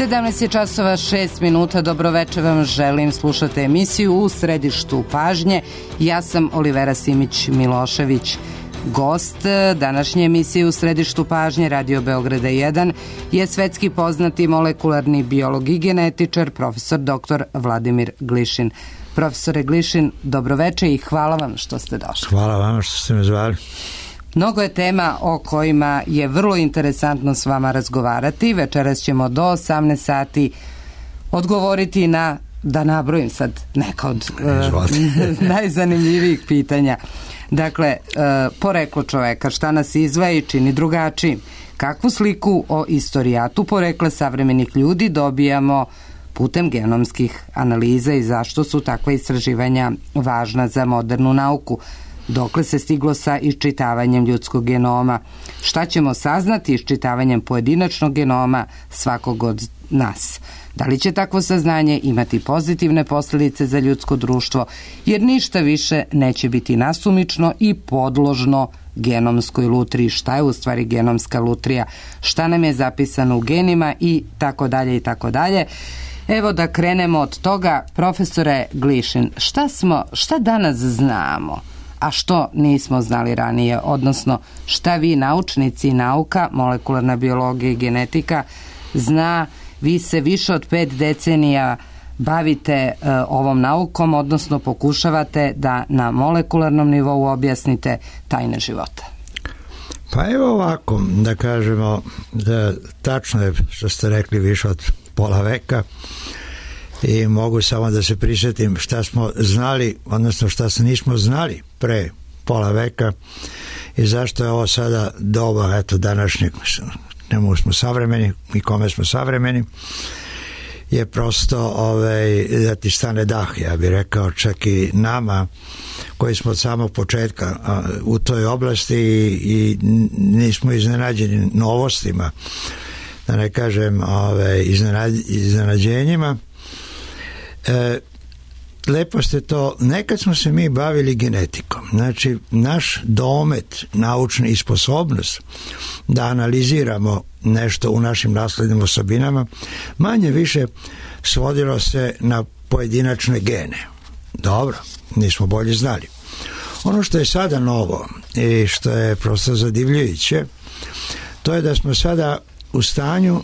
17 je časova 6 minuta, dobroveče vam želim, slušate emisiju U središtu pažnje. Ja sam Olivera Simić-Milošević. Gost današnje emisije U središtu pažnje Radio Beograda 1 je svetski poznati molekularni biolog i genetičar, profesor dr. Vladimir Glišin. Profesore Glišin, dobroveče i hvala vam što ste došli. Hvala vam što ste me zvali. Mnogo je tema o kojima je vrlo interesantno s vama razgovarati. Večeras ćemo do 18 sati odgovoriti na, da nabrojim sad neka od najzanimljivijih pitanja. Dakle, poreklo čoveka, šta nas izdvaja i čini drugačijim. Kakvu sliku o istorijatu porekla savremenih ljudi dobijamo putem genomskih analiza i zašto su takva istraživanja važna za modernu nauku? Dokle se stiglo sa iščitavanjem ljudskog genoma? Šta ćemo saznati iščitavanjem pojedinačnog genoma svakog od nas? Da li će takvo saznanje imati pozitivne posljedice za ljudsko društvo, jer ništa više neće biti nasumično i podložno genomskoj lutriji? Šta je u stvari genomska lutrija? Šta nam je zapisano u genima i tako dalje i tako dalje. Evo da krenemo od toga, profesore Glišin, šta danas znamo, a što nismo znali ranije, odnosno šta vi naučnici i nauka, molekularna biologija i genetika zna? Vi se više od 5 decenija bavite ovom naukom, odnosno pokušavate da na molekularnom nivou objasnite tajne života. Pa evo ovako, da kažemo, da tačno je što ste rekli, više od pola veka, i mogu samo da se prisjetim šta smo znali, odnosno šta se nismo znali pre pola veka i zašto je ovo sada doba, eto, današnjeg, nemu smo savremeni i kome smo savremeni, je prosto da ti stane dah, ja bih rekao, čak i nama koji smo od samog početka u toj oblasti i nismo iznenađeni novostima, da ne kažem iznenađenjima. Lepo ste to, nekad smo se mi bavili genetikom, znači naš domet naučni i sposobnost da analiziramo nešto u našim naslednim osobinama manje više svodilo se na pojedinačne gene. Dobro, nismo bolje znali. Ono što je sada novo i što je prosto zadivljujuće, to je da smo sada u stanju,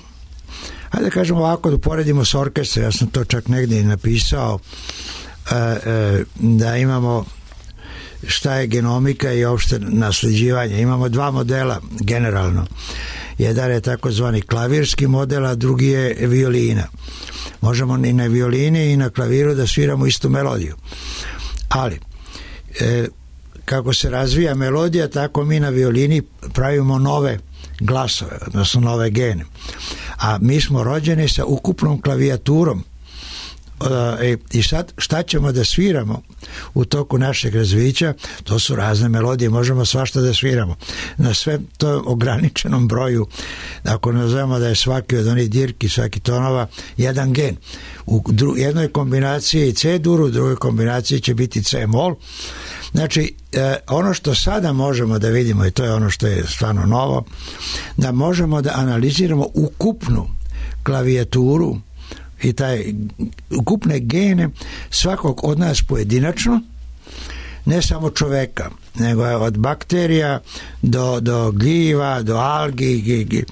hajde da kažemo ovako, da uporedimo s orkestrom, ja sam to čak negdje i napisao, da imamo šta je genomika i uopšte nasljeđivanje. Imamo dva modela generalno. Jedan je takozvani klavirski model, a drugi je violina. Možemo i na violini i na klaviru da sviramo istu melodiju. Ali, kako se razvija melodija, tako mi na violini pravimo nove glasove, odnosno nove gene. A mi smo rođeni sa ukupnom klavijaturom. I sad šta ćemo da sviramo u toku našeg razvića? To su razne melodije, možemo svašta da sviramo na sve to ograničenom broju. Ako nazovemo da je svaki od onih dirki, svaki tonova jedan gen, u jednoj kombinaciji C-dur, u drugoj kombinaciji će biti C-mol. Znači, ono što sada možemo da vidimo, i to je ono što je stvarno novo, da možemo da analiziramo ukupnu klavijaturu i taj ukupne gene svakog od nas pojedinačno, ne samo čoveka, nego od bakterija do gljiva, do algi,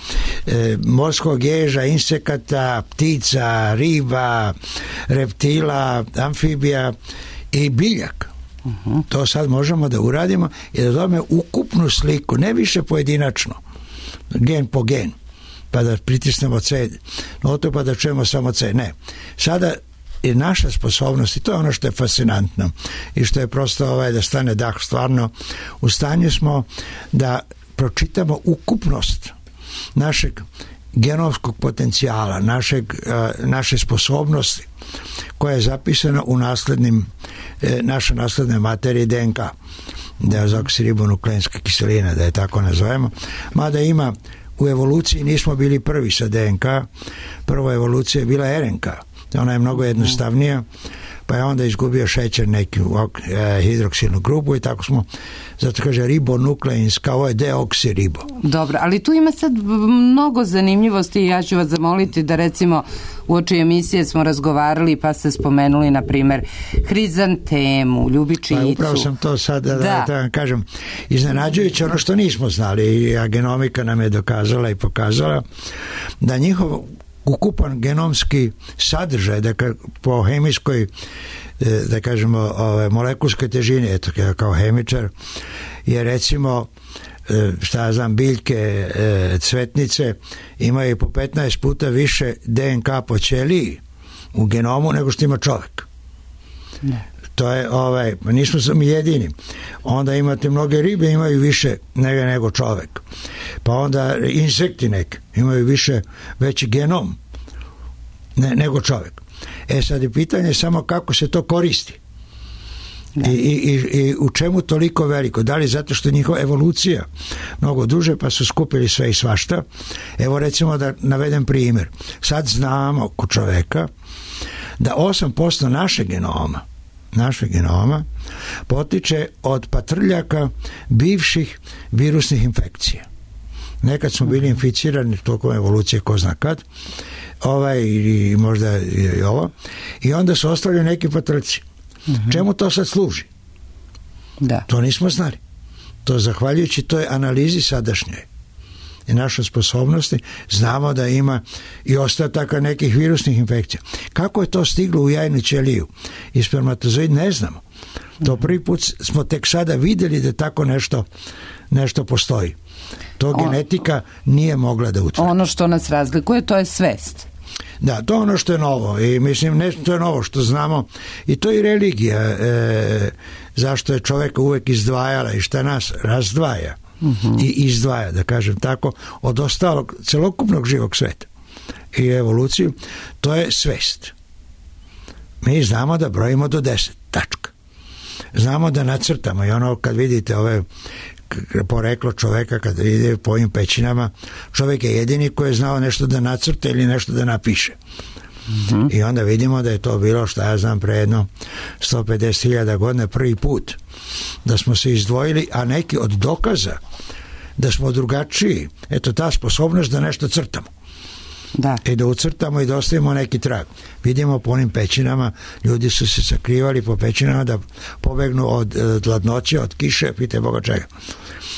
morskog ježa, insekata, ptica, riba, reptila, amfibija i biljaka. To sad možemo da uradimo i da dobijemo ukupnu sliku, ne više pojedinačno, gen po gen, pa da pritisnemo C notu pa da čujemo samo C. Ne. Sada je naša sposobnost, i to je ono što je fascinantno i što je prosto da stane dah, stvarno u stanju smo da pročitamo ukupnost našeg genomskog potencijala, naše sposobnosti koja je zapisana u naše nasledne materije DNK, deoksiribonukleinska kiselina, da je tako nazovemo, mada ima u evoluciji, nismo bili prvi sa DNK, prva evolucija je bila RNK, ona je mnogo jednostavnija, pa je onda izgubio šećer neku hidroksilnu grupu i tako smo, zato kaže ribonukleinska, ovo je deoksiribo. Dobro, ali tu ima sad mnogo zanimljivosti i ja ću vas zamoliti da recimo uoči emisije smo razgovarali pa ste spomenuli na primjer hrizantemu, ljubičicu. Pa upravo sam to sad da vam kažem, iznenađujuće ono što nismo znali i genomika nam je dokazala i pokazala da njihov ukupan genomski sadržaj, dakle po hemijskoj, da kažemo molekulskoj težini, eto kao hemičar, je recimo šta ja znam, biljke, cvetnice imaju po 15 puta više DNK po ćeliji u genomu nego što ima čovjek. Ne. To je, nismo sami jedini. Onda imate mnoge ribe imaju više nego čovjek. Pa onda insekti neki imaju veći genom nego čovjek. Sad je pitanje samo kako se to koristi. I u čemu toliko veliko? Da li zato što je njihova evolucija mnogo duže pa su skupili sve i svašta? Evo recimo da navedem primjer. Sad znamo kod čoveka da 8% našeg genoma potiče od patrljaka bivših virusnih infekcija. Nekad smo bili inficirani tokom evolucije ko zna kad, i možda i ovo, i onda su ostali neki patrljci. Čemu to sad služi? Da. To nismo znali. To zahvaljujući toj analizi sadašnjoj i našoj sposobnosti znamo da ima i ostataka nekih virusnih infekcija. Kako je to stiglo u jajnu ćeliju i spermatozoid ne znamo. To prvi put smo tek sada vidjeli da tako nešto postoji. To genetika nije mogla da utvrdi. Ono što nas razlikuje to je svest. Da, to je ono što je novo i mislim to je novo što znamo i to je i religija, zašto je čovjeka uvek izdvajala i šta nas razdvaja i izdvaja, da kažem tako, od ostalog celokupnog živog sveta i evoluciju, to je svest. Mi znamo da brojimo do 10, tačka. Znamo da nacrtamo i ono kad vidite ove poreklo čoveka kad ide po ovim pećinama, čovjek je jedini koji je znao nešto da nacrta ili nešto da napiše. I onda vidimo da je to bilo, šta ja znam, pre jedno 150.000 godina prvi put da smo se izdvojili, a neki od dokaza da smo drugačiji, eto ta sposobnost da nešto crtamo. Da. I da ucrtamo i da ostavimo neki trag. Vidimo po onim pećinama, ljudi su se sakrivali po pećinama da pobegnu od hladnoće, od kiše, pitaj Boga čega.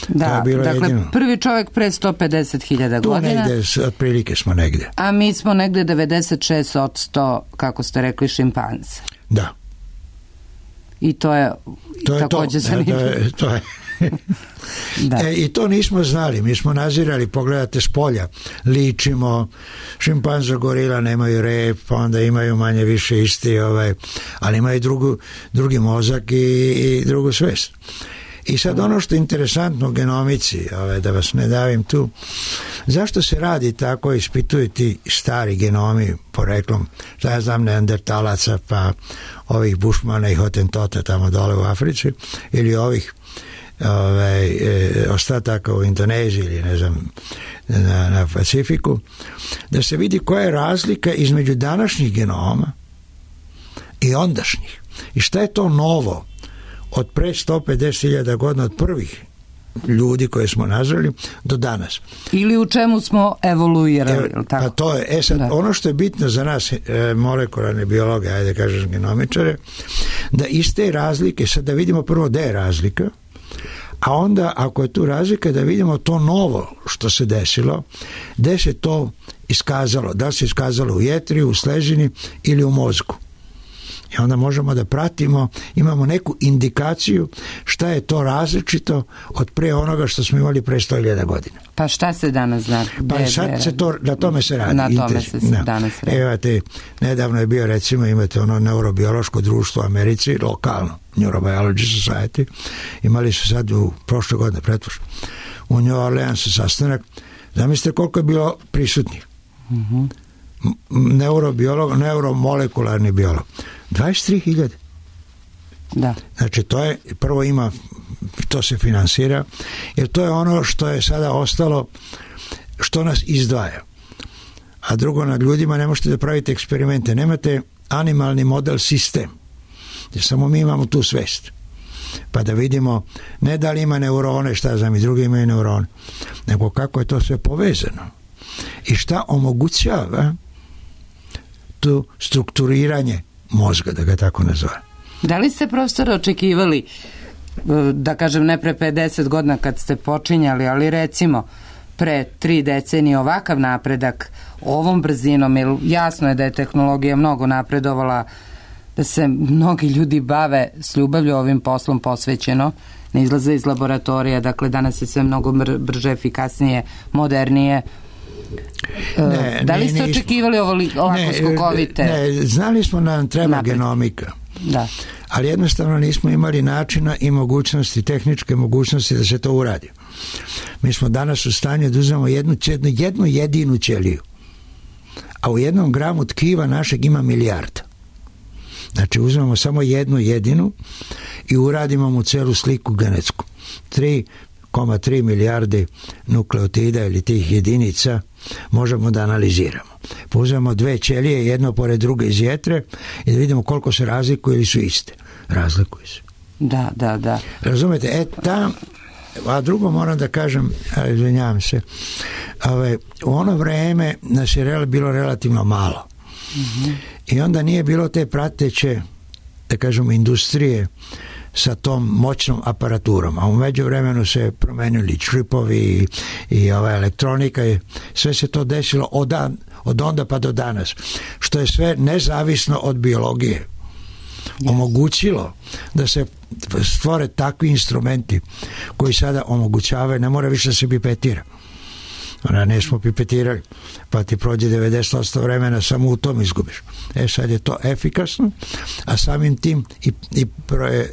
Da, dakle, jedino. Prvi čovjek pre 150.000 godina. Tu negde, otprilike smo negde. A mi smo negde 96%, kako ste rekli, šimpanze. Da. I to je također zanimljivo. To je. Da. I to nismo znali, mi smo nazirali, pogledate s polja, ličimo, šimpanza, gorila nemaju rep, pa onda imaju manje više isti, ali imaju drugi mozak i drugu svest. I sad ono što je interesantno u genomici, da vas ne davim tu, zašto se radi tako, ispituju ti stari genomi poreklom, šta ja znam, neandertalaca, pa ovih bušmana i hotentota tamo dole u Africi, ili ovih ostataka u Indoneziji ili ne znam na Pacifiku, da se vidi koja je razlika između današnjih genoma i ondašnjih i šta je to novo od pre 150.000 godina od prvih ljudi koje smo nazvali do danas. Ili u čemu smo evoluirali. Tako? Pa to je, sad, ono što je bitno za nas molekularne biologe, ajde kažeš genomičare, da iz te razlike, sad da vidimo prvo gde je razlika, a onda ako je tu razlika da vidimo to novo što se desilo, gde se to iskazalo, da se iskazalo u jetri, u sležini ili u mozgu. I onda možemo da pratimo, imamo neku indikaciju šta je to različito od pre onoga što smo imali pre 100.000 godina. Pa šta se danas zna? Pa sad se to, na tome se radi. Na tome se danas radi. Evo nedavno je bio, recimo, imate ono neurobiološko društvo u Americi, lokalno, Neurobiology Society, imali su sad u prošle godine, pretpošle, u New Orleansu sastanak, zamislite koliko je bilo prisutnih. Neurobiolog, neuromolekularni biolog. 23.000. Da. Znači to je, prvo ima, to se finansira, jer to je ono što je sada ostalo, što nas izdvaja. A drugo, nad ljudima ne možete da pravite eksperimente, nemate animalni model sistem. Samo mi imamo tu svest. Pa da vidimo ne da li ima neurone, šta znam, i drugi imaju neurone, nego kako je to sve povezano i šta omogućava to strukturiranje mozga, da ga tako nazove. Da li ste, profesor, očekivali, da kažem ne pre 50 godina kad ste počinjali, ali recimo pre 3 decenije ovakav napredak ovom brzinom, jer jasno je da je tehnologija mnogo napredovala, da se mnogi ljudi bave s ljubavlju ovim poslom posvećeno, ne izlaze iz laboratorija, dakle danas je sve mnogo brže, efikasnije, modernije. Da li ste očekivali ovako skokovite? Ne, znali smo da nam treba genomika. Da. Ali jednostavno nismo imali načina i mogućnosti, tehničke mogućnosti da se to uradi. Mi smo danas u stanju da uzmemo jednu jedinu ćeliju, a u 1 gramu tkiva našeg ima milijarda. Znači uzmemo samo jednu jedinu i uradimo mu celu sliku genetsku. 3,3 milijarde nukleotida ili tih jedinica možemo da analiziramo. Pa uzmemo 2 ćelije, jedno pored druge iz jetre i da vidimo koliko se razlikuju ili su iste. Razlikuju se. Da. Razumete? A drugo moram da kažem, izvinjavam se, u ono vreme nas je bilo relativno malo. I onda nije bilo te prateće, da kažemo, industrije sa tom moćnom aparaturom, a u međuvremenu se promenili čipovi i elektronika i sve se to desilo od onda pa do danas, što je sve nezavisno od biologije omogućilo da se stvore takvi instrumenti koji sada omogućavaju, ne mora više da se pipetira. Ne smo pipetirali, pa ti prođe 90% vremena, samo u tom izgubiš. Sad je to efikasno, a samim tim i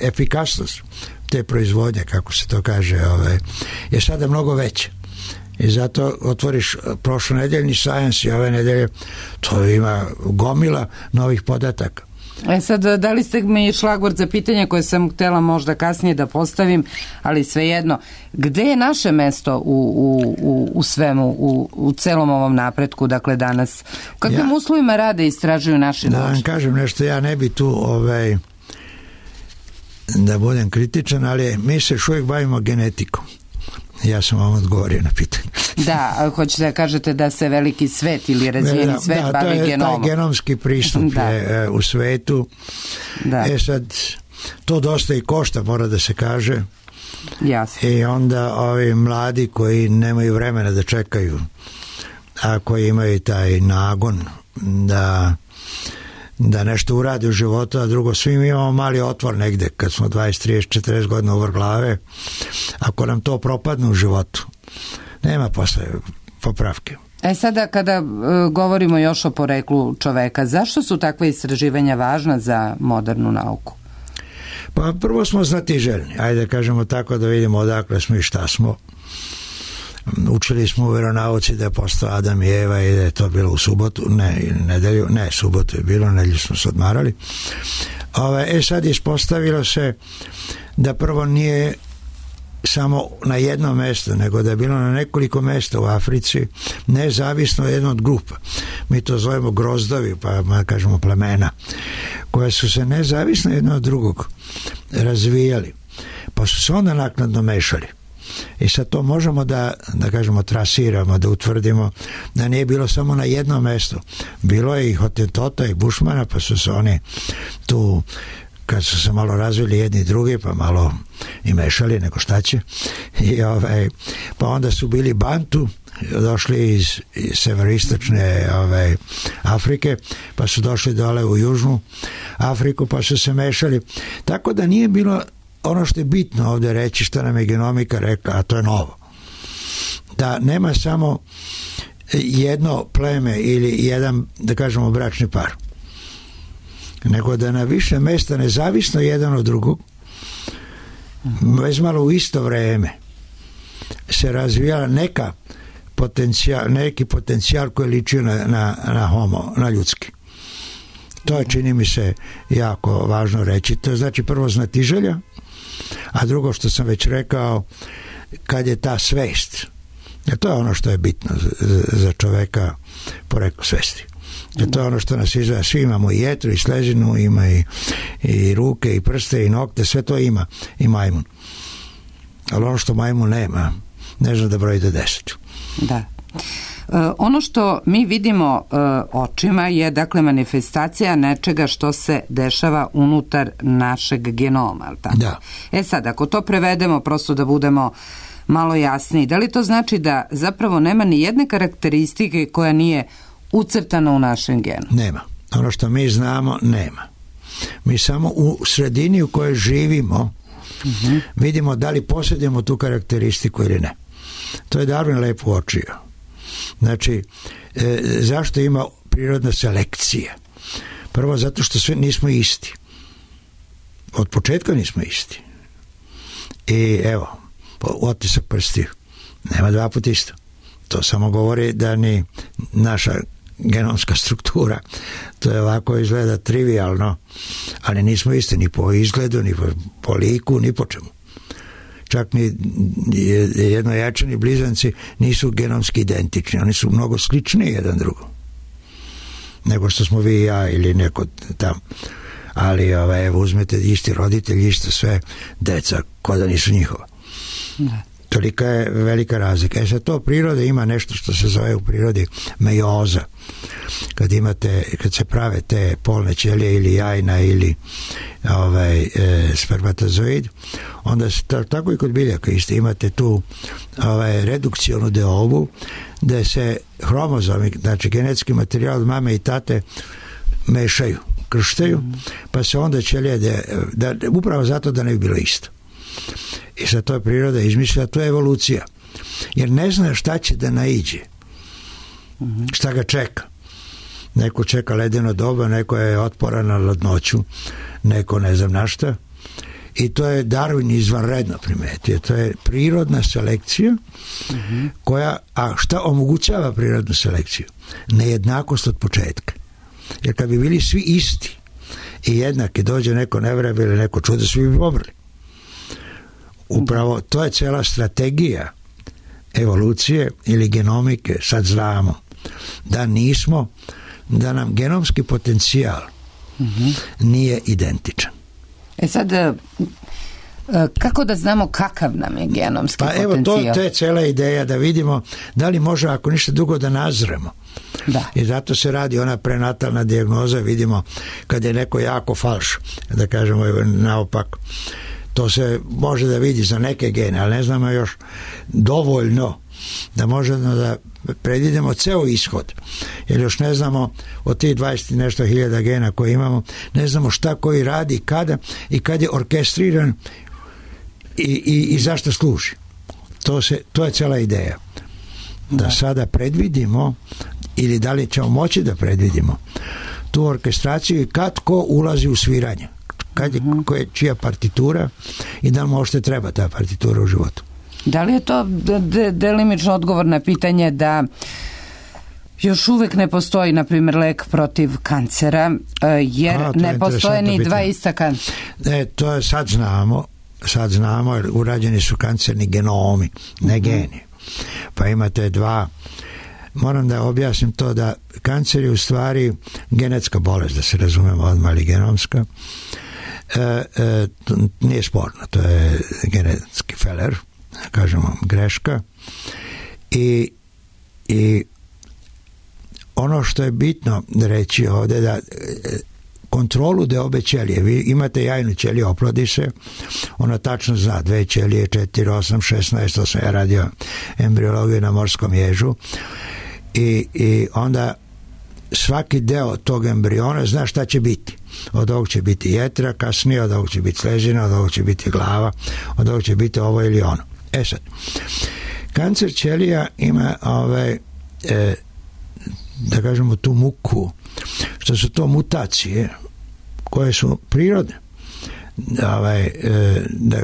efikasnost te proizvodnje, kako se to kaže, je sada mnogo veća. I zato otvoriš prošlonedeljni Science i ove nedelje, to ima gomila novih podataka. Sad, dali ste mi šlagvort za pitanje koje sam htjela možda kasnije da postavim, ali svejedno, gde je naše mesto u svemu, u celom ovom napretku, dakle danas? U kakvim uslovima rade i istražuju naši naučnici? Da vam kažem nešto, ja ne bi tu da budem kritičan, ali mi se još uvijek bavimo genetikom. Ja sam vam odgovorio na pitanje. Da, hoćete da kažete da se veliki svet ili razvijeni svet bavi genomom. Taj genomski pristup je u svetu. Sad, to dosta i košta, mora da se kaže. Jasno. I onda ovi mladi koji nemaju vremena da čekaju, a koji imaju taj nagon da nešto uradi u životu, a drugo, svi mi imamo mali otvor negde kad smo 20, 30, 40 godina uvrh glave. Ako nam to propadne u životu, nema posle popravke. Sada kada govorimo još o poreklu čoveka, zašto su takve istraživanja važna za modernu nauku? Pa prvo smo znatiželjni, ajde kažemo tako, da vidimo odakle smo i šta smo. Učili smo u veronauci da je postao Adam i Eva i da je to bilo u subotu, subotu je bilo, nedelju smo se odmarali. Sad ispostavilo se da prvo nije samo na jedno mesto, nego da je bilo na nekoliko mesta u Africi, nezavisno jedno od grupa. Mi to zovemo grozdovi, pa kažemo plemena, koja su se nezavisno jedno od drugog razvijali, pa su se onda naknadno mešali. I sad to možemo da kažemo trasiramo, da utvrdimo da nije bilo samo na jednom mestu. Bilo je i Hotentota i Bušmana, pa su se oni tu, kad su se malo razvili jedni i drugi, pa malo i mešali, nego šta će. Pa onda su bili Bantu, došli iz severoistočne Afrike, pa su došli dole u južnu Afriku, pa su se mešali. Tako da nije bilo ono što je bitno ovdje reći, što nam je genomika rekla, a to je novo. Da nema samo jedno pleme ili jedan, da kažemo, bračni par. Nego da na više mesta, nezavisno jedan od drugog, već malo u isto vreme se razvijala neki potencijal koji ličio na ljudski. To je, čini mi se, jako važno reći. To znači prvo znatiželja, a drugo što sam već rekao, kad je ta svest, jer to je ono što je bitno za čoveka, poreklo svesti. Jer to je ono što nas izgleda. Svi imamo i jetru i slezinu, ima i ruke i prste i nokte, sve to ima i majmun. Ali ono što majmun nema, ne zna da broji do 10. Da. Ono što mi vidimo očima je dakle manifestacija nečega što se dešava unutar našeg genoma. Tako? Da. Sad, ako to prevedemo prosto da budemo malo jasniji, da li to znači da zapravo nema ni jedne karakteristike koja nije ucrtana u našem genu? Nema. Ono što mi znamo, nema. Mi samo u sredini u kojoj živimo vidimo da li posjedujemo tu karakteristiku ili ne. To je Darwin lepo uočio. Znači, zašto ima prirodna selekcija? Prvo, zato što sve nismo isti. Od početka nismo isti. I evo, otisak prstiju. Nema dva puta isto. To samo govori da ni naša genomska struktura, to je ovako izgleda trivialno, ali nismo isti ni po izgledu, ni po liku, ni po čemu. Čak ni jednojačani blizanci nisu genomski identični, oni su mnogo sličniji jedan drugom nego što smo vi i ja ili neko tam. Ali evo, uzmete isti roditelji, isto sve, deca ko da nisu njihova. Da. Tolika je velika razlika. Sad to priroda ima nešto što se zove u prirodi mejoza. Kad se prave te polne ćelije ili jajna ili spermatozoid, onda se tako i kod biljaka isto imate tu redukcionu deobu da se hromozomi, znači genetski materijal od mame i tate mešaju, krštaju, pa se onda ćelije upravo zato da ne bi bilo isto. I sad to je priroda izmišlja, to je evolucija. Jer ne zna šta će da naiđe. Šta ga čeka. Neko čeka ledeno doba, neko je otporan na ladnoću, neko ne znam na šta. I to je Darwin izvanredno primetio. To je prirodna selekcija koja, a šta omogućava prirodnu selekciju? Nejednakost od početka. Jer kad bi bili svi isti i jednaki, dođe neko nevrijeme ili neko čudo, svi bi pomrli. Upravo to je cijela strategija evolucije ili genomike. Sad znamo da nam genomski potencijal nije identičan. Sad, kako da znamo kakav nam je genomski potencijal? Evo, to je cijela ideja, da vidimo da li može, ako ništa dugo, da nazremo. Da. I zato se radi ona prenatalna dijagnoza, vidimo kad je neko jako falš, da kažemo naopak. To se može da vidi za neke gene, ali ne znamo još dovoljno da možemo da predvidimo ceo ishod. Jer još ne znamo od tih 20 nešto hiljada gena koje imamo, ne znamo šta koji radi, kada i kad je orkestriran i zašto služi. To je cela ideja. Da sada predvidimo, ili da li ćemo moći da predvidimo tu orkestraciju i kad ko ulazi u sviranje. Čija partitura i da li možete treba ta partitura u životu. Da li je to delimično odgovor na pitanje da još uvek ne postoji, na primjer, lek protiv kancera, jer ne postoje ni dva ista kancera? To je sad znamo, jer urađeni su kancerni genomi, ne geni. Pa imate dva. Moram da objasnim to da kancer je u stvari genetska bolest, da se razumemo odmah, ali genomska. Nije sporno, to je genetski feler, kažemo greška, i ono što je bitno reći ovdje, da kontrolu deobe ćelije, vi imate jajnu ćeliju, oplodi se, ona tačno zna 2 ćelije, 4, 8, 16, to sam ja radio embriologiju na morskom ježu, i onda svaki deo tog embriona zna šta će biti. Od ovog će biti jetra, kasnije od ovog će biti slezina, od ovog će biti glava, od ovog će biti ovo ili ono. Sad, kancer ćelija ima da kažemo tu muku, što su to mutacije koje su prirodne.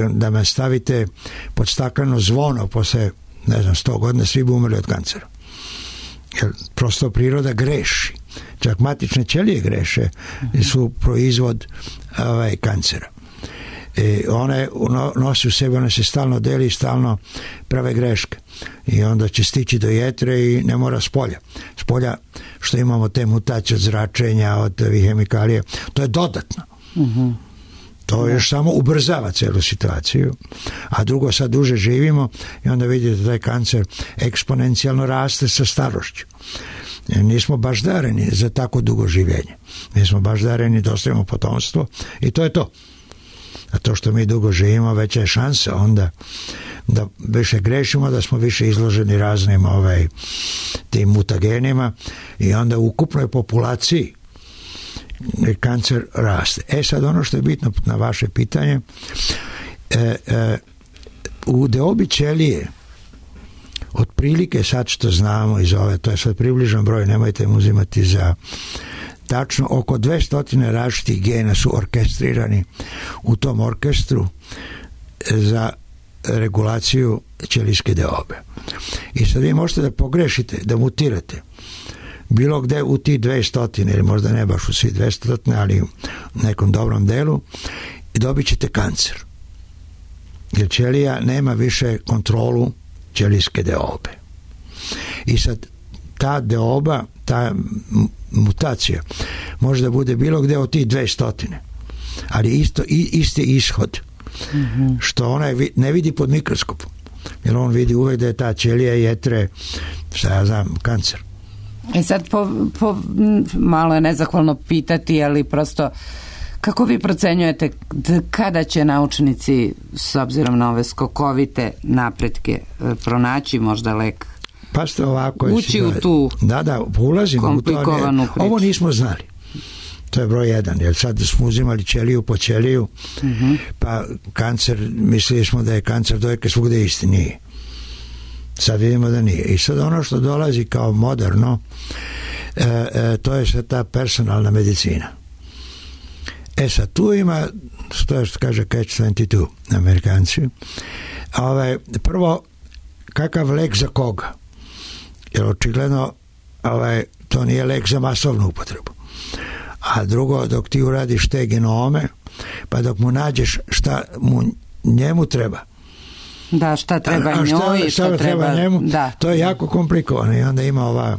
Da me stavite pod stakleno zvono posle, ne znam, 100 godina, svi bi umrli od kancera. Jer prosto priroda greši. Čak matične ćelije greše i su proizvod kancera. One nosi u sebi, one se stalno deli, stalno prave greške. I onda će stići do jetre i ne mora spolja. Spolja što imamo te mutacije od zračenja, od ovih hemikalija, to je dodatno. To još samo ubrzava celu situaciju, a drugo, sad duže živimo i onda vidite da taj kancer eksponencijalno raste sa starošću. Nismo baš dareni za tako dugo življenje. Nismo baš dareni da ostavimo potomstvo i to je to. A to što mi dugo živimo, veća je šansa onda da više grešimo, da smo više izloženi raznim tim mutagenima i onda u ukupnoj populaciji kancer raste. Sad ono što je bitno na vaše pitanje, u deobi ćelije otprilike, sad što znamo iz ove, to je sad približan broj, nemojte mu uzimati za tačno, oko 200 različitih gena su orkestrirani u tom orkestru za regulaciju ćelijske deobe. I sad vi možete da pogrešite, da mutirate bilo gde u ti 200, ili možda ne baš u svi 200, ali u nekom dobrom delu, i dobit ćete kancer. Jer ćelija nema više kontrolu ćelijske deobe. I sad ta deoba, ta mutacija može da bude bilo gde od tih 200, ali isti ishod, što ona ne vidi pod mikroskopom, jer on vidi uvek da je ta ćelija jetre, šta ja znam, kancer. I sad malo je nezahvalno pitati, ali prosto kako vi procenjujete kada će naučnici, s obzirom na ove skokovite napretke, pronaći možda lek? Pa ste ovako, ući u tu ulazimo komplikovanu priču. Ovo nismo znali. To je broj 1, jer sad smo uzimali ćeliju po ćeliju, pa kancer, mislili smo da je kancer dojke svugde isti, nije. Sad vidimo da nije. I sad ono što dolazi kao moderno, to je sad ta personalna medicina. Sad tu ima, to je što kaže Catch-22, Amerikanci, prvo, kakav lek za koga? Jer očigledno to nije lek za masovnu upotrebu. A drugo, dok ti uradiš te genome, pa dok mu nađeš šta mu njemu treba, da, šta treba njoj, šta treba njemu, da. To je jako komplikovano i onda ima ova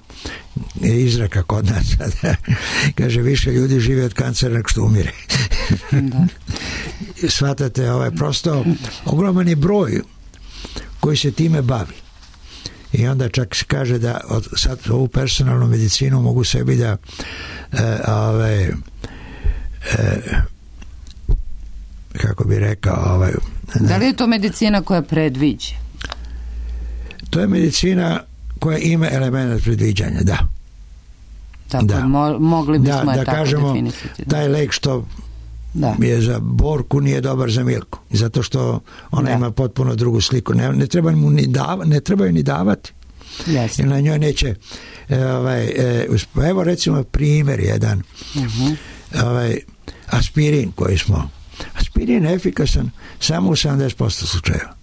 izreka kod nas, kaže, više ljudi žive od kancera nego što umire. Da. Shvatate, prosto ogroman je broj koji se time bavi. I onda čak se kaže da sad ovu personalnu medicinu mogu sebi da kako bi rekao, da li je to medicina koja predviđa? To je medicina koja ima element predviđanja, da. Tako, da. Mogli bismo je tako kažemo, definisati. Taj lek što je za Borku nije dobar za Milku, zato što ona ima potpuno drugu sliku. Ne treba mu ne trebaju ni davati. Jer na njoj neće evo recimo primjer jedan, aspirin koji smo, aspirin je efikasan samo u 70% slučajeva.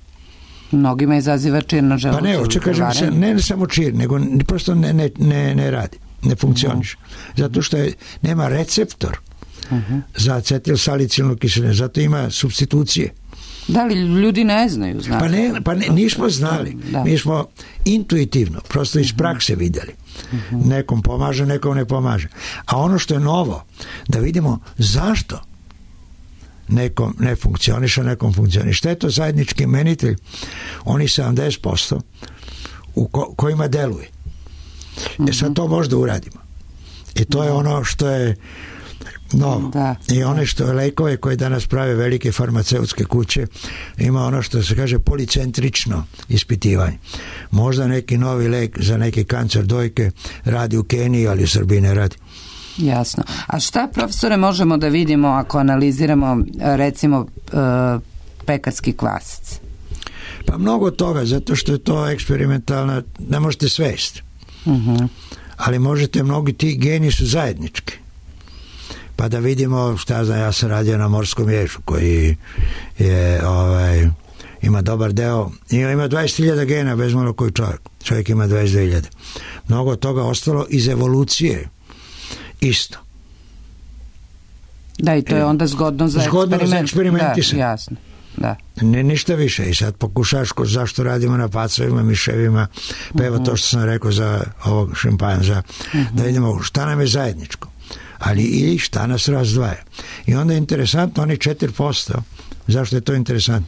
Mnogima izaziva čir na želucu. Pa ne, hoće kažem se, ne samo čir, nego prosto ne radi, ne funkcioniše. Zato što nema receptor za acetilsalicilnu kiselinu, zato ima supstitucije. Da li ljudi ne znaju? Pa nismo znali. Mi smo intuitivno, prosto iz prakse vidjeli. Nekom pomaže, nekom ne pomaže. A ono što je novo, da vidimo zašto nekom ne funkcioniše, nekom funkcioniše. Šta je to zajednički imenitelj? Oni 70% u kojima deluje. Sad to možda uradimo. I to je ono što je novo. I one što je lekove koje danas prave velike farmaceutske kuće, ima ono što se kaže policentrično ispitivanje. Možda neki novi lek za neki kancer dojke radi u Keniji, ali u Srbiji ne radi. Jasno. A šta, profesore, možemo da vidimo ako analiziramo recimo pekarski kvasac? Pa mnogo toga, zato što je to eksperimentalna, ne možete svesti. Ali možete, mnogi ti geni su zajednički. Pa da vidimo, šta znam, ja sam radio na morskom ježu koji je ima dobar deo, ima 20.000 gena bez malo koji čovjek ima 22.000. Mnogo toga ostalo iz evolucije isto. Da, i to je onda zgodno za eksperimentisanje. Jasno. Da. Ništa više. I sad pokušaš zašto radimo na pacovima, miševima, pa evo to što sam rekao za ovog šimpanza, da vidimo šta nam je zajedničko, ali i šta nas razdvaja. I onda je interesantno, oni 4%, zašto je to interesantno?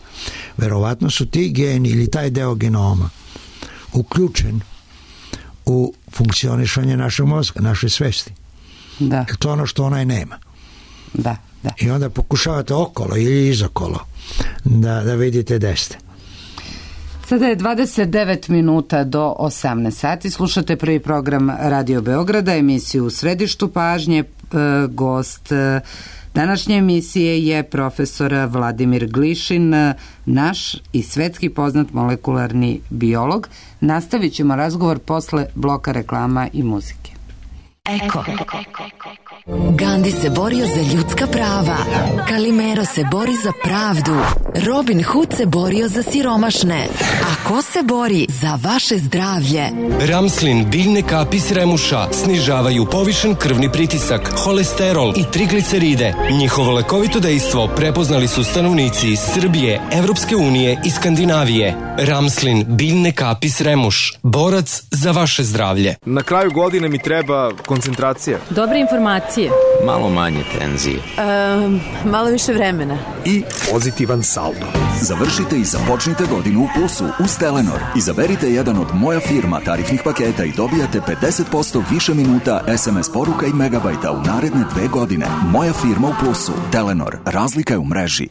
Verovatno su ti geni ili taj deo genoma uključen u funkcionisanje našeg mozga, naše svesti. Da. To je ono što onaj nema. Da. I onda pokušavate okolo ili izokolo da vidite gde ste. Sada je 29 minuta do 18 sati. Slušate prvi program Radio Beograda, emisiju U središtu pažnje. Gost današnje emisije je profesor Vladimir Glišin, naš i svetski poznat molekularni biolog. Nastavit ćemo razgovor posle bloka reklama i muzike. Eko. Gandhi se borio za ljudska prava. Kalimero se bori za pravdu. Robin Hood se borio za siromašne. A ko se bori za vaše zdravlje? Ramslin, biljne kapi s remuša snižavaju povišen krvni pritisak, holesterol i trigliceride. Njihovo lekovito dejstvo prepoznali su stanovnici iz Srbije, Evropske unije i Skandinavije. Ramslin, biljne kapi s remuš. Borac za vaše zdravlje. Na kraju godine mi treba koncentracija. Dobre informacije. Malo manje tenzije. Malo više vremena. I pozitivan saldo. Završite i započnite godinu u plusu uz Telenor. Izaberite jedan od Moja firma tarifnih paketa i dobijate 50% više minuta, SMS poruka i megabajta u naredne 2 godine. Moja firma u plusu. Telenor. Razlika je u mreži.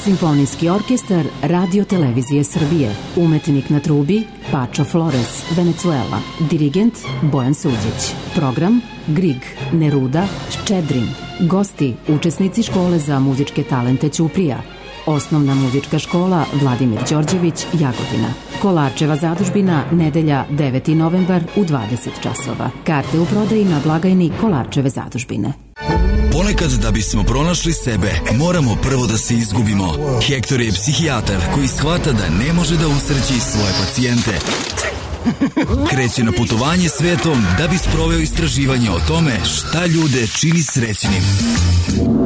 Simfonijski orkestar Radio Televizije Srbije. Umetnik na trubi Pačo Flores, Venezuela. Dirigent Bojan Suđić. Program Grig, Neruda, Ščedrin. Gosti, učesnici škole za muzičke talente Ćuprija. Osnovna muzička škola Vladimir Đorđević, Jagodina. Kolarčeva zadužbina, nedelja 9. novembar u 20 časova. Karte u prodaji na blagajni Kolarčeve zadužbine. Ponekad da bismo pronašli sebe, moramo prvo da se izgubimo. Hektor je psihijatar koji shvata da ne može da usreći svoje pacijente. Kreće na putovanje svetom da bi sproveo istraživanje o tome šta ljude čini srećnim.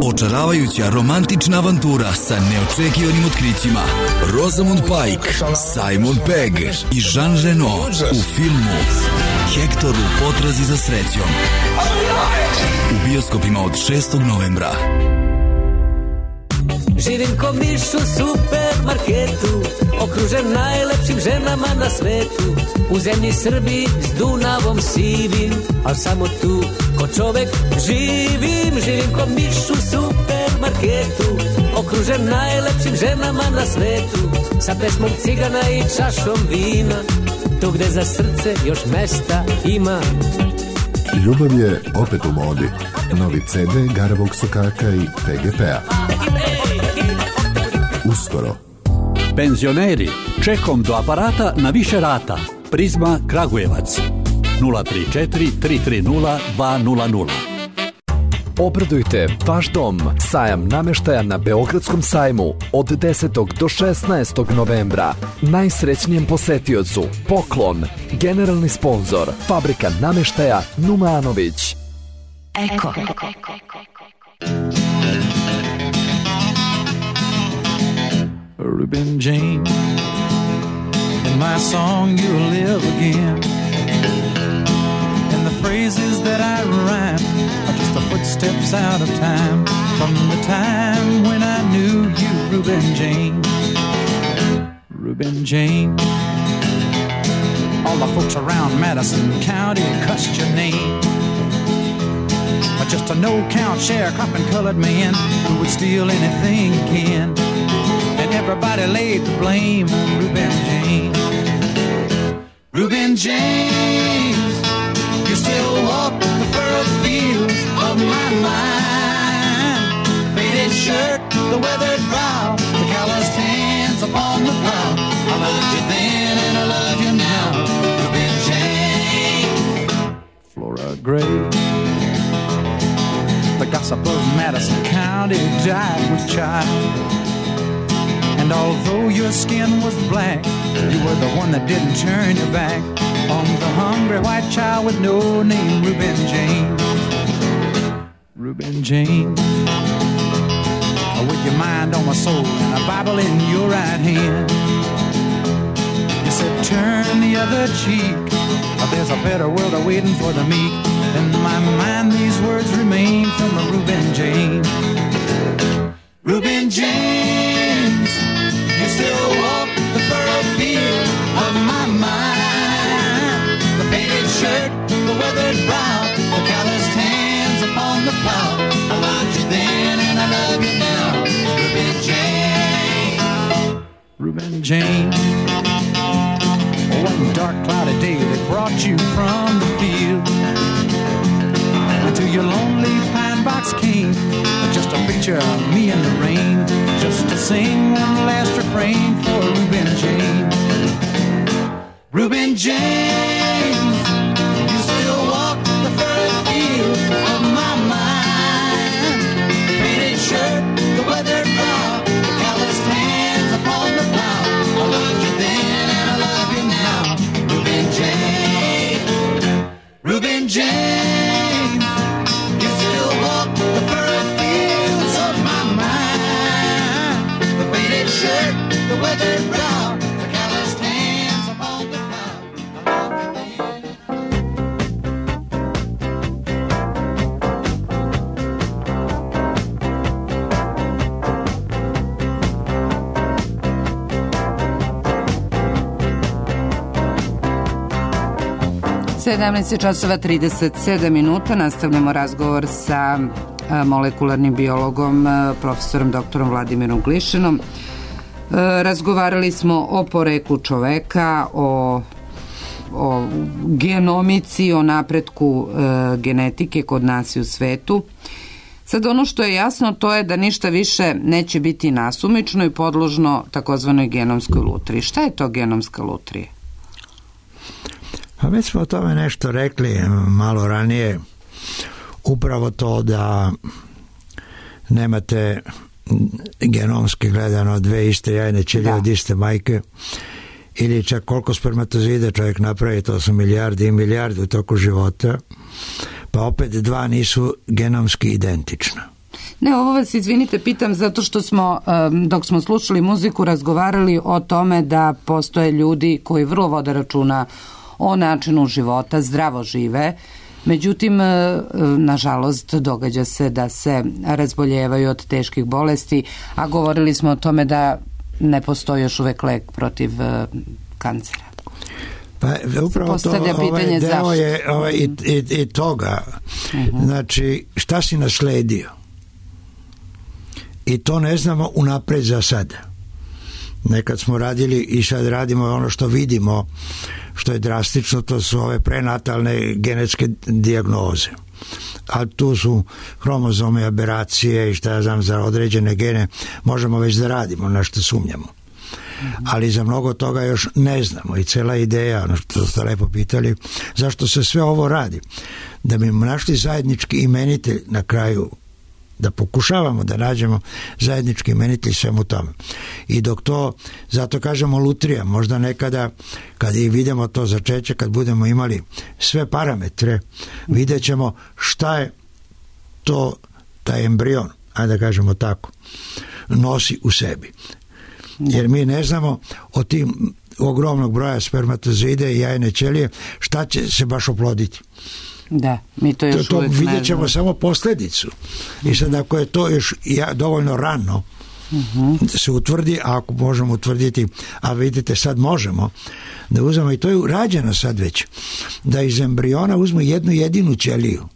Očaravajuća romantična avantura sa neočekivanim otkrićima. Rosamund Pike, Simon Pegg i Jean Reno u filmu Hektor u potrazi za srećom. U bioskopima od 6. novembra. Živim ko miš u supermarketu, okružen najlepšim ženama na svetu. U zemlji Srbiji s Dunavom sivim, al samo tu ko čovek živim. Živim ko miš u supermarketu, okružen najlepšim ženama na svetu. Sa pesmom cigana i čašom vina, tu gde za srce još mesta ima. Ljubav je opet u modi. Novi CD Garavog sokaka i PGP-a. Uskoro. Penzioneri, čekom do aparata na više rata. Prizma Kragujevac 034 330 200. Obradujte vaš dom. Sajam nameštaja na Beogradskom sajmu od 10. do 16. novembra. Najsrećnijem posetiocu poklon. Generalni sponzor Fabrika nameštaja Numanović. Eko. Reuben James, in my song you'll live again, and the phrases that I rhyme are just the footsteps out of time, from the time when I knew you, Reuben James. Reuben James. All the folks around Madison County cussed your name, but just a no-count sharecropping colored man who would steal anything he can. And everybody laid the blame on Reuben James. Reuben James, you still walk the furrowed fields of my mind. Faded shirt, the weathered brow, the calloused hands upon the plow. I loved you then and I love you now. Reuben James. Flora Gray, the gossip of Madison County, died with child. And although your skin was black, you were the one that didn't turn your back on the hungry white child with no name, Reuben James. Reuben James. with your mind on my soul and a Bible in your right hand. You said turn the other cheek, there's a better world awaiting for the meek. In my mind these words remain from a Reuben James. Reuben James, you still walk the furrowed field of my mind. The faded shirt, the weathered brow, the calloused hands upon the plow. I loved you then and I love you now. Reuben James. Reuben James. One dark cloudy day that brought you from the field to your lonely pine box came just a picture of me in the rain, just to sing one last refrain for Reuben James. Reuben James, you still walk the furrowed field of my mind. The faded shirt, the weathered brow, the calloused hands upon the plow. I loved you then and I love you now. Reuben James, Reuben James, you still walk the furrowed fields of my mind. The faded shirt, the weathered brow, the calloused hands upon the plow. Sedamnaest časova 37 minuta. Nastavljamo razgovor sa molekularnim biologom, profesorom doktorom Vladimirom Glišinom. Razgovarali smo o poreklu čoveka, o genomici, o napretku genetike kod nas i u svetu. Sad ono što je jasno to je da ništa više neće biti nasumično i podložno takozvanoj genomskoj lutriji. Šta je to genomska lutrija? Pa već smo o tome nešto rekli malo ranije. Upravo to da nemate genomski gledano dve iste jajne ćelije od iste majke, ili čak koliko spermatozoida čovjek napravi, to su milijardi i milijardi u toku života, pa opet dva nisu genomski identična. Ne, ovo vas, izvinite, pitam zato što smo, dok smo slušali muziku, razgovarali o tome da postoje ljudi koji vrlo vode računa o načinu života, zdravo žive. Međutim, nažalost, događa se da se razboljevaju od teških bolesti, a govorili smo o tome da ne postoji još uvek lek protiv kancera. Pa upravo to, ovaj deo je i toga. Znači, šta si nasledio? I to ne znamo unapred za sada. Nekad smo radili i sad radimo ono što vidimo, što je drastično, to su ove prenatalne genetske dijagnoze. A tu su hromozome, aberacije i šta ja znam, za određene gene možemo već da radimo, na što sumnjamo. Ali za mnogo toga još ne znamo i cela ideja, ono što ste lepo pitali, zašto se sve ovo radi? Da bi našli zajednički imenitelj na kraju, da pokušavamo da nađemo zajednički imenitelj svemu tome. I dok to, zato kažemo lutrija, možda nekada kad i vidimo to začeće, kad budemo imali sve parametre, vidjet ćemo šta je to, taj embrion, ajde da kažemo tako, nosi u sebi. Jer mi ne znamo od tim ogromnog broja spermatozoida i jajne ćelije šta će se baš oploditi. Da, mi to još uvijek ne znamo. Vidjet ćemo samo posljedicu. I sad ako je to još dovoljno rano se utvrdi, a ako možemo utvrditi, a vidite sad možemo da uzmemo, i to je urađeno sad već, da iz embriona uzmu jednu jedinu ćeliju.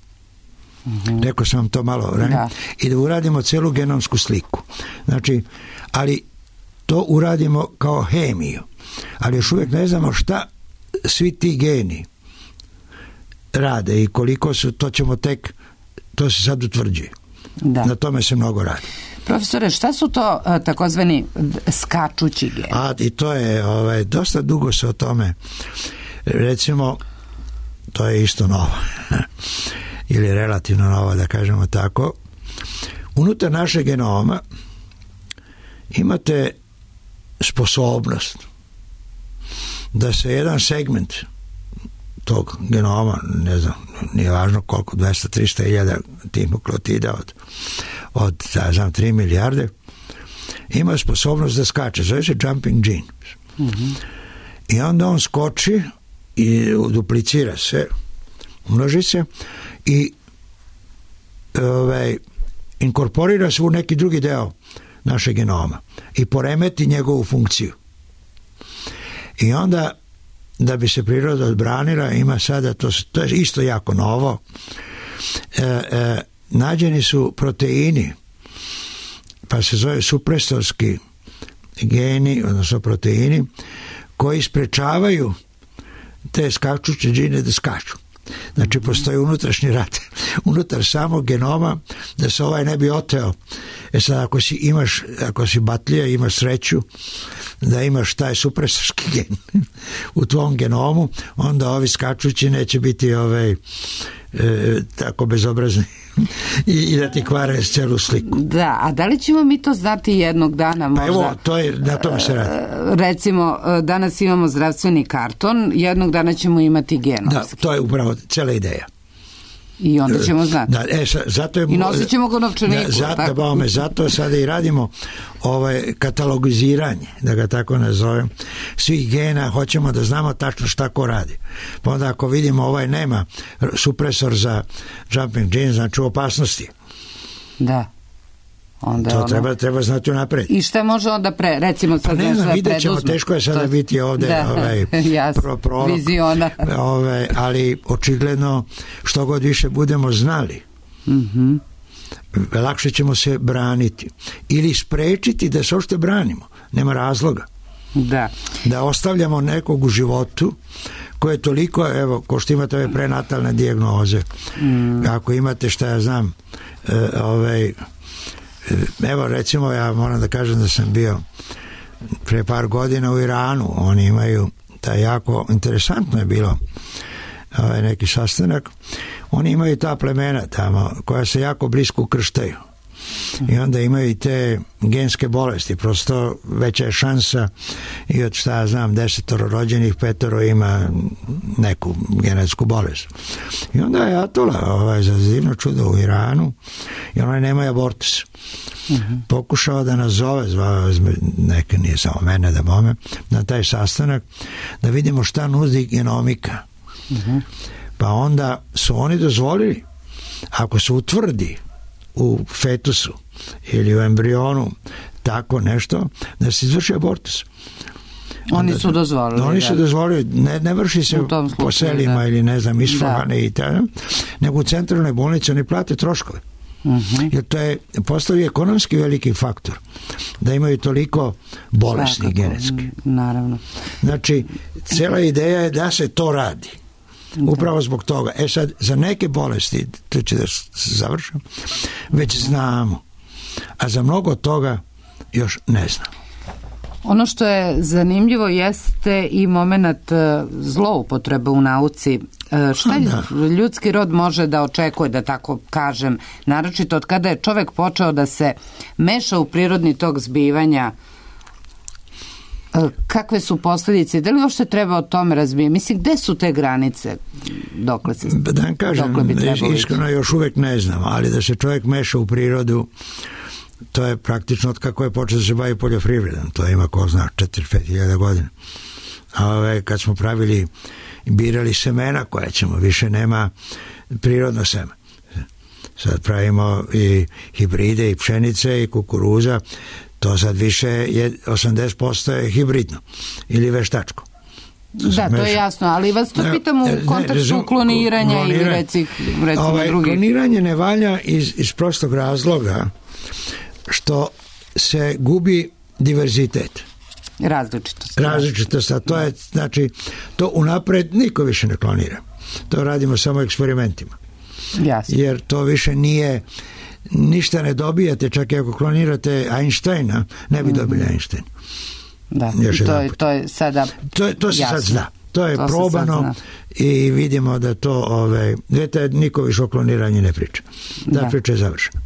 Rekao sam vam to malo ranije. I da uradimo celu genomsku sliku. Znači, ali to uradimo kao hemiju. Ali još uvijek ne znamo šta svi ti geni rade i koliko su, to ćemo tek, to se sad utvrđuje. Na tome se mnogo radi. Profesore, šta su to takozvani skačući geni? I to je, dosta dugo se o tome, recimo, to je isto novo, ili relativno novo, da kažemo tako. Unutar našeg genoma imate sposobnost da se jedan segment tog genoma, ne znam, nije važno koliko, 200-300 hiljada tih nukleotida od 3 milijarde, ima sposobnost da skače, zove se jumping gene. I onda on skoči i duplicira se, umnoži se i inkorporira se u neki drugi deo našeg genoma i poremeti njegovu funkciju. I onda, da bi se priroda odbranila, ima sada, to je isto jako novo, nađeni su proteini, pa se zove supresorski geni, odnosno proteini, koji sprečavaju te skačuće džine da skaču. Znači, postoji unutrašnji rat unutar samog genoma da se ovaj ne bi oteo. Sad, ako si batlija, imaš sreću da imaš taj supresorski gen u tvom genomu, onda ovi skačući neće biti tako bezobrazni i da ti kvare celu sliku. Da, a da li ćemo mi to znati jednog dana možda? Pa evo, na tome se radi. Recimo, danas imamo zdravstveni karton, jednog dana ćemo imati genomski. Da, to je upravo cela ideja. I onda ćemo znati. Da, zato je, i nosit ćemo ga novčaniku. Zato sada i radimo katalogiziranje, da ga tako nazovem, svih gena, hoćemo da znamo tačno šta ko radi. Pa onda ako vidimo nema supresor za jumping gene, znači u opasnosti. Da. Onda to treba znati unapred. I šta može onda recimo sad ne znam, vidjet ćemo, teško je sada biti ovde viziona. Ali očigledno što god više budemo znali, lakše ćemo se braniti ili sprečiti da se uopšte branimo. Nema razloga da ostavljamo nekog u životu koje je toliko, evo, ko što imate ove prenatalne dijagnoze, ako imate, šta ja znam, evo, recimo, ja moram da kažem da sam bio pre par godina u Iranu. Oni imaju taj jako interesantno je bilo neki sastanak. Oni imaju ta plemena tamo koja se jako blisko ukrštaju i onda imaju i te genske bolesti, prosto veća je šansa i od, šta ja znam, 10 rođenih 5 ima neku genetsku bolest. I onda je Atula za divno čudo u Iranu i onaj nema abortus. Pokušao da nazove, zvao neka, nije samo mene da bome, na taj sastanak da vidimo šta nudi genomika. Pa onda su oni dozvolili, ako se utvrdi u fetusu ili u embrionu tako nešto, da se izvrši abortus. Oni su dozvolili. Oni su dozvolili, ne vrši se po selima ili ne znam, isfogane i tada, nego u centralnoj bolnici oni plate troškove. Jer to je postavi ekonomski veliki faktor da imaju toliko bolesni genetski. Naravno. Znači, cela ideja je da se to radi. Upravo zbog toga. Sad, za neke bolesti, to će da završim, već znamo. A za mnogo toga još ne znamo. Ono što je zanimljivo jeste i moment zloupotrebe u nauci. Šta ljudski rod može da očekuje, da tako kažem, naročito od kada je čovek počeo da se meša u prirodni tok zbivanja? Kakve su posljedice? Da li uopšte treba o tome razbijati? Mislim, gde su te granice? Dokle se da vam kažem, iskreno još uvek ne znam, ali da se čovjek meša u prirodu, to je praktično od kako je počeo da se bavi poljoprivredom. To ima, ko zna, 4-5 hiljada godina. Kad smo birali semena koja ćemo, više nema prirodno seme. Sad pravimo i hibride i pšenice i kukuruza, to sad više je 80% je hibridno ili veštačko. Da, to je jasno, ali vas to pitam u kontekstu kloniranja ili recimo drugih. Kloniranje ne valja iz prostog razloga što se gubi diverzitet. Različitost, a to je, znači, to unapred niko više ne klonira. To radimo samo eksperimentima. Jasno. Jer to više nije, ništa ne dobijate, čak i ako klonirate Einsteina, ne bi dobili Einsteina. Da, to je sada to se sad zna. To je probano i vidimo da to, niko više o kloniranju ne priča. Da, priča je završena.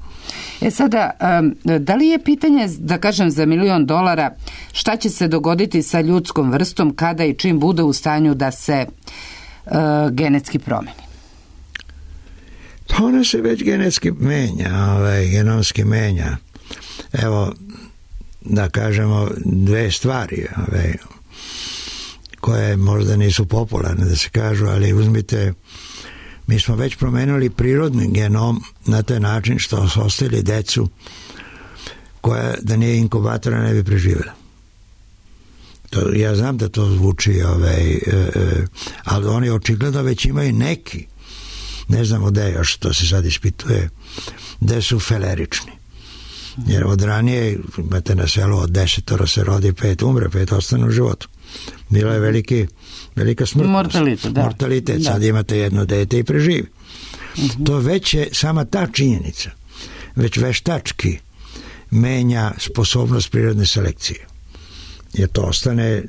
Sada, da li je pitanje, da kažem, za $1 milion, šta će se dogoditi sa ljudskom vrstom kada i čim bude u stanju da se genetski promeni? Pa Ona se već genetski menja, genomski menja. Evo, da kažemo dve stvari koje možda nisu popularne da se kažu, ali uzmite, mi smo već promenili prirodni genom na taj način što su ostavili decu koja da nije inkubatora ne bi preživjela. Ja znam da to zvuči, ali oni očigledno već imaju neki, ne znamo gde još, to se sad ispituje, gde su felerični. Jer od ranije, imate na selu od 10 se rodi, 5 umre, 5 ostane u životu. Bila je velika smrtnost. Mortalitet. Sad imate jedno dete i preživi. To već je sama ta činjenica, već veštački menja sposobnost prirodne selekcije. Jer to ostane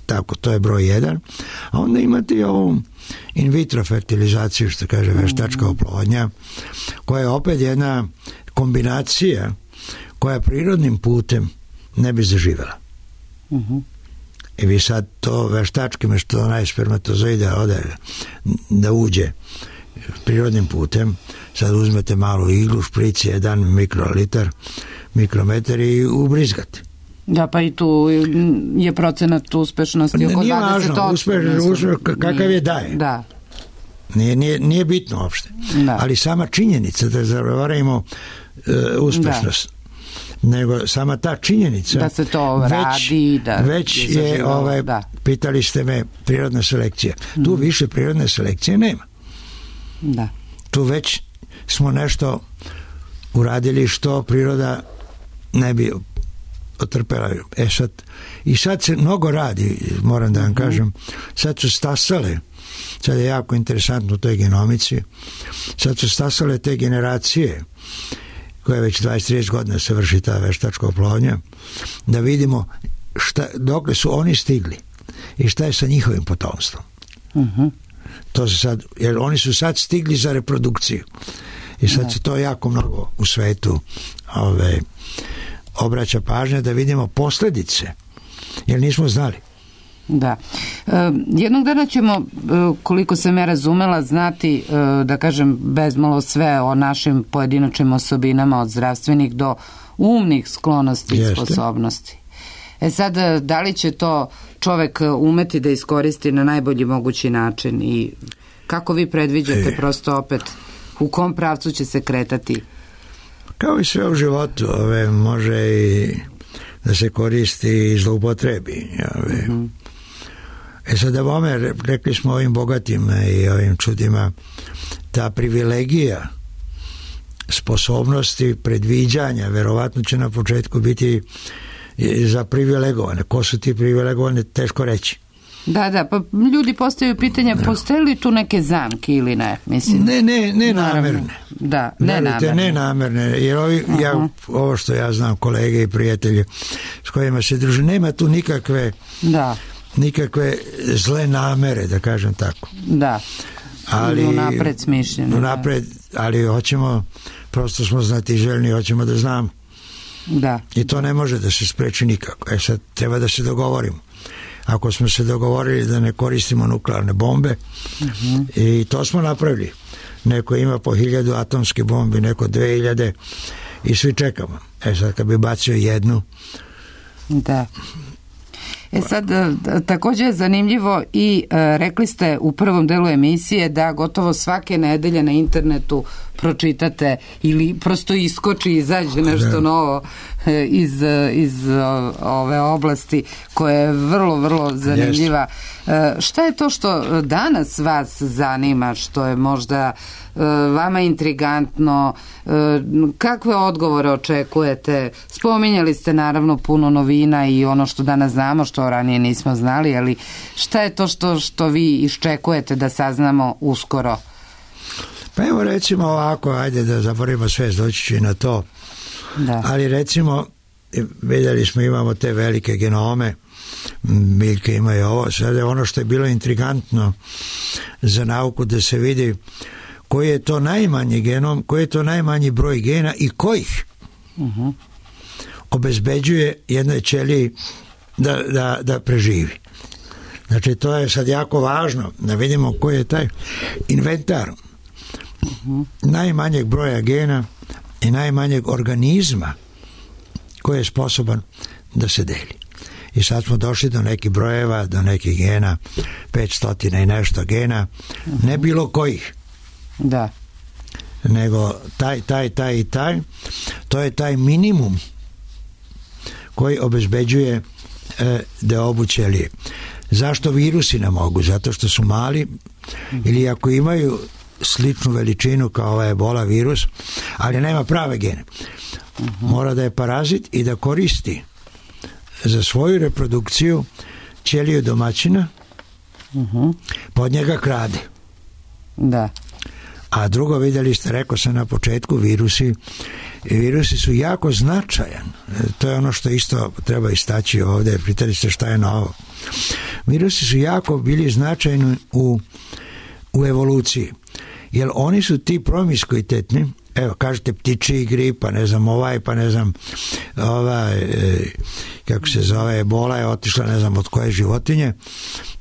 tako, to je broj 1. A onda imate i ovu in vitro fertilizaciju, što kaže veštačka oplodnja, koja je opet jedna kombinacija koja prirodnim putem ne bi zaživela. I vi sad to veštačkim, što onaj spermatozoide ode da uđe prirodnim putem, sad uzmete malu iglu, šprici 1 mikrometar i ubrizgate. Da, pa i tu je procenat uspešnosti oko 20%. Nije važno, kakav je daje. Da. Nije bitno uopšte. Ali sama činjenica da zavarajmo uspešnost, nego sama ta činjenica da se to radi, već je pitali ste me prirodna selekcija. Tu više prirodne selekcije nema. Da. Tu već smo nešto uradili što priroda ne bi otrpela. I sad se mnogo radi, moram da vam kažem, sad su stasale, sad je jako interesantno u toj genomici, sad su stasale te generacije koje već 20-30 godina se vrši ta veštačka oplodnja, da vidimo dokle su oni stigli i šta je sa njihovim potomstvom. To se sad, jer oni su sad stigli za reprodukciju i sad se to jako mnogo u svetu obraća pažnja da vidimo posljedice, jer nismo znali. Da. Jednog dana ćemo, koliko sam ja razumela, znati, da kažem, bezmalo sve o našim pojedinačnim osobinama od zdravstvenih do umnih sklonosti i sposobnosti. Sad, da li će to čovek umeti da iskoristi na najbolji mogući način i kako vi predviđate prosto opet u kom pravcu će se kretati? Kao i sve u životu, može i da se koristi i zloupotrebi. Sad da vome, rekli smo ovim bogatima i ovim čudima, ta privilegija sposobnosti predviđanja verovatno će na početku biti za privilegovane. Ko su ti privilegovane, teško reći. Da, pa ljudi postavljaju pitanje, postoje li tu neke zamke ili ne? Mislim, ne namerne. Da, ne namerne. Jer ovo što ja znam, kolege i prijatelji s kojima se druže, nema tu nikakve zle namere, da kažem tako. Da, ali unapred smišljeno. Unapred, ali hoćemo, prosto smo znatiželjni, hoćemo da znamo. Da. I to ne može da se spreči nikako. Sad treba da se dogovorimo. Ako smo se dogovorili da ne koristimo nuklearne bombe, i to smo napravili. Neko ima po 1000 atomske bombi, neko 2000 i svi čekamo. Sad kad bi bacio jednu. Da. Sad, također je zanimljivo i rekli ste u prvom delu emisije da gotovo svake nedelje na internetu pročitate ili prosto iskoči i izađe nešto novo iz ove oblasti koja je vrlo, vrlo zanimljiva. Šta je to što danas vas zanima, što je možda vama intrigantno, kakve odgovore očekujete? Spominjali ste naravno puno novina i ono što danas znamo, što ranije nismo znali, ali šta je to što vi iščekujete da saznamo uskoro? Pa evo recimo ovako, ajde da zaboravimo sve, doći će i na to. Da. Ali recimo, vidjeli smo, imamo te velike genome, biljke imaju ovo, sad je ono što je bilo intrigantno za nauku da se vidi koji je to najmanji genom, koji je to najmanji broj gena i kojih obezbeđuje jednoj ćeliji da preživi. Znači to je sad jako važno da vidimo koji je taj inventar najmanjeg broja gena i najmanjeg organizma koji je sposoban da se deli. I sad smo došli do nekih brojeva, do nekih gena, 500 i nešto gena, ne bilo kojih. Da. Nego taj i taj, to je taj minimum koji obezbeđuje deobu ćelije. Zašto virusi ne mogu? Zato što su mali ili ako imaju sličnu veličinu kao ova ebola virus, ali nema prave gene. Mora da je parazit i da koristi za svoju reprodukciju ćeliju domaćina, pod njega krade. Da. A drugo, vidjeli ste, rekao sam na početku, virusi su jako značajan. To je ono što isto treba istaći ovdje. Pitali ste šta je novo. Virusi su jako bili značajni u evoluciji. Jer oni su ti promiskuitetni. Evo, kažete ptičji grip, pa ne znam pa ne znam kako se zove, ebola je otišla ne znam od koje životinje,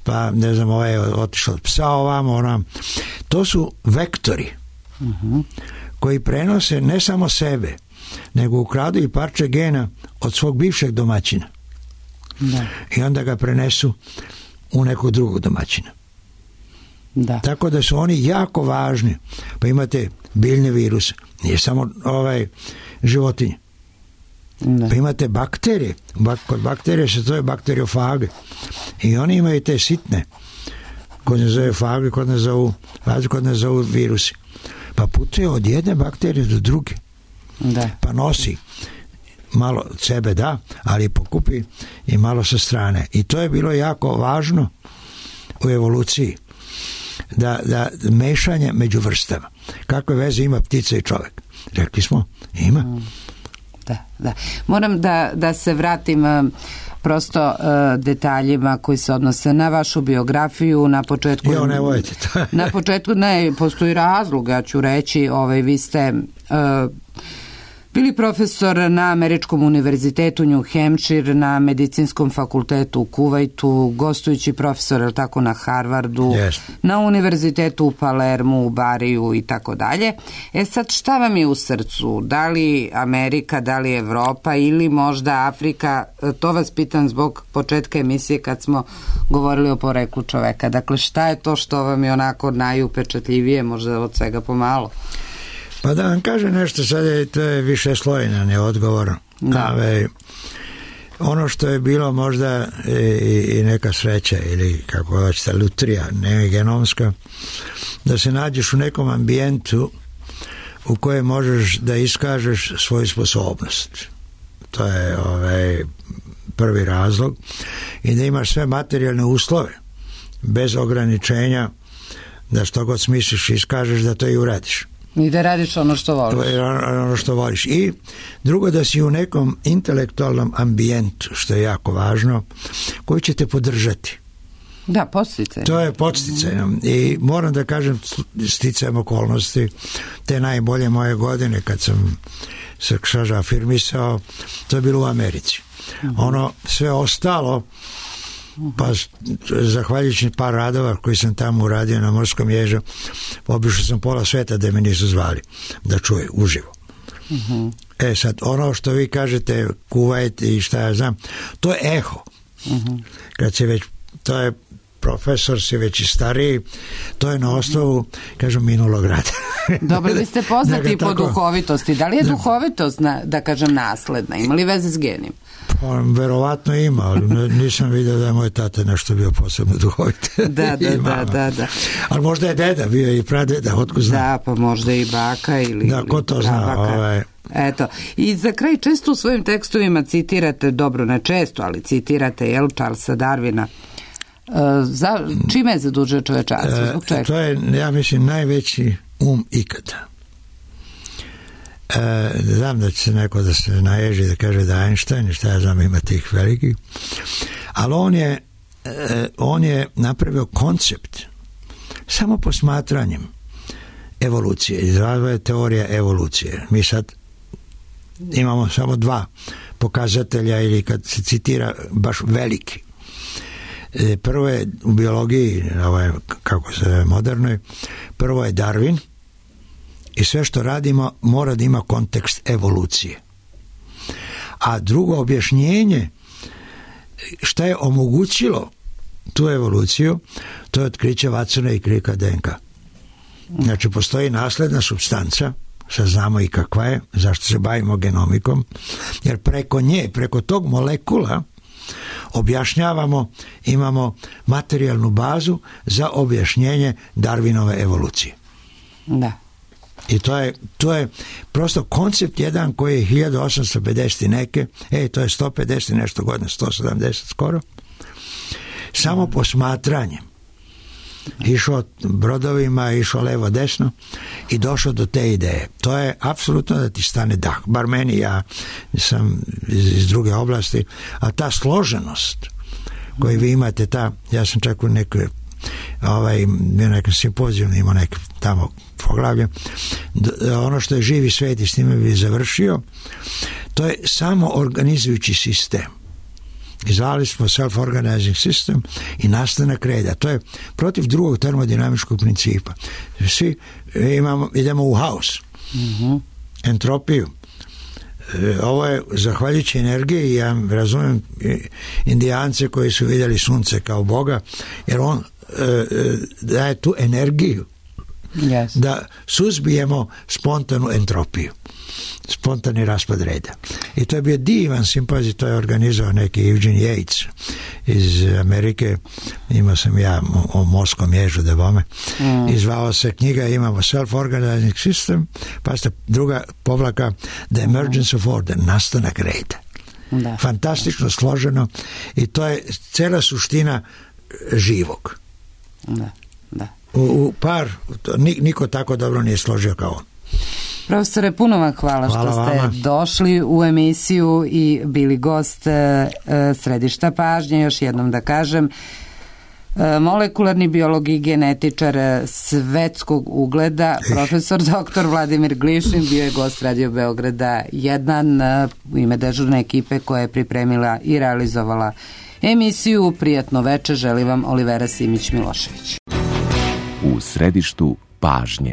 pa ne znam je otišla od psa ovamo. To su vektori koji prenose ne samo sebe, nego ukradu i parče gena od svog bivšeg domaćina. Da. I onda ga prenesu u nekog drugog domaćina. Da. Tako da su oni jako važni. Pa imate biljne viruse, nije samo životinje. Da. Pa imate bakterije. Kod bakterije se zove bakteriofage. I oni imaju te sitne. Kod ne zove fage, kod ne zovu virusi. Pa putuje od jedne bakterije do druge. Da. Pa nosi malo sebe, ali pokupi i malo sa strane. I to je bilo jako važno u evoluciji. Da mešanje među vrstama. Kakve veze ima ptica i čovjek? Rekli smo, ima. Da. Moram da se vratim prosto detaljima koji se odnose na vašu biografiju. Na početku ne vojete to. Na početku ne postoji razlog, ja ću reći, vi ste bili profesor na Američkom univerzitetu New Hampshire, na Medicinskom fakultetu u Kuvajtu, gostujući profesor tako na Harvardu, na univerzitetu u Palermu, u Bariju i tako dalje. Sad šta vam je u srcu? Da li Amerika, da li Evropa ili možda Afrika? To vas pitam zbog početka emisije kad smo govorili o poreklu čoveka. Dakle, šta je to što vam je onako najupečatljivije, možda od svega pomalo? Pa da vam kaže nešto, sad to je više slojenan je odgovor. Ono što je bilo možda i neka sreća ili kako hoćete lutrija, ne genomska, da se nađeš u nekom ambijentu u kojem možeš da iskažeš svoju sposobnost. To je prvi razlog. I da imaš sve materijalne uslove bez ograničenja da što god smisliš iskažeš da to i uradiš. I da radiš ono što voliš. I drugo, da si u nekom intelektualnom ambijentu, što je jako važno, koji će te podržati. Da, podsticaj. To je podsticaj. I moram da kažem, sticajem okolnosti, te najbolje moje godine kad sam se afirmisao, to je bilo u Americi. Ono sve ostalo, pa zahvaljujući par radova koji sam tamo uradio na Morskom ježu, obišao sam pola sveta da me nisu zvali da čuje uživo. Sad, ono što vi kažete Kuvajt i šta ja znam, to je eho. Kad se već, to je profesor, si već i stariji, to je na osnovu, kažem, minulog rada. Dobro, vi ste poznati po duhovitosti. Da li je duhovitost, da kažem, nasledna? Ima li veze s genim? Pa, verovatno ima, ali nisam vidio da je moj tata nešto bio posebno duhovit. Da. Ali možda je deda bio i pradeda, otko znam. Da, pa možda i baka ili... Da, ko to zna, Eto, i za kraj često u svojim tekstovima citirate, dobro ne često, ali citirate, Charlesa Darwina. Čime je zadužio čovečanstvo? Zbog čega? To je, ja mislim, najveći ikada. Znam da će se neko da se naježi da kaže da Einstein i šta ja znam ima tih velikih, ali on je napravio koncept samo posmatranjem evolucije, izrazva je teorija evolucije. Mi sad imamo samo dva pokazatelja ili kad se citira baš veliki. Prvo je u biologiji, kako se modernoj, prvo je Darwin, i sve što radimo mora da ima kontekst evolucije. A drugo objašnjenje šta je omogućilo tu evoluciju, to je otkriće Watsona i Cricka DNK. Znači, postoji nasledna supstanca, sad znamo i kakva je, zašto se bavimo genomikom, jer preko nje, preko tog molekula objašnjavamo, imamo materijalnu bazu za objašnjenje Darwinove evolucije. Da. I to je prosto koncept jedan koji je 1850 i neke, to je 150 i nešto godina, 170 skoro, samo posmatranjem išao brodovima, išao levo desno i došao do te ideje. To je apsolutno da ti stane dah. Bar meni, ja sam iz druge oblasti, a ta složenost koju vi imate, ja sam čak u nekoj nekom simpoziju imao neke tamo poglavlje, ono što je živi svet i s time bi završio, to je samo organizujući sistem. Izvali smo self-organizing system i nastanak reda. To je protiv drugog termodinamičkog principa. Svi idemo u haos. Entropiju. Ovo je zahvaljujući energiji, ja razumijem Indijance koji su vidjeli sunce kao Boga, jer on daje tu energiju da suzbijemo spontanu entropiju, spontani raspad reda. I to je bio divan simpozij, to je organizovao neki Eugene Yates iz Amerike, imao sam ja o morskom ježu da bome, izvao se knjiga, imamo self-organizing system, pa ste druga povlaka The Emergence of Order, nastanak reda. Da. Fantastično složeno i to je cela suština živog. Da. U par, niko tako dobro nije složio kao on. Profesore, puno vam hvala što ste vama. došli u emisiju i bili gost Središta pažnje. Još jednom da kažem, molekularni biolog i genetičar svetskog ugleda, profesor dr. Vladimir Glišin, bio je gost Radio Beograda 1 u ime dežurne ekipe koja je pripremila i realizovala emisiju. Prijatno veče, želi vam Olivera Simić-Milošević. U središtu pažnje.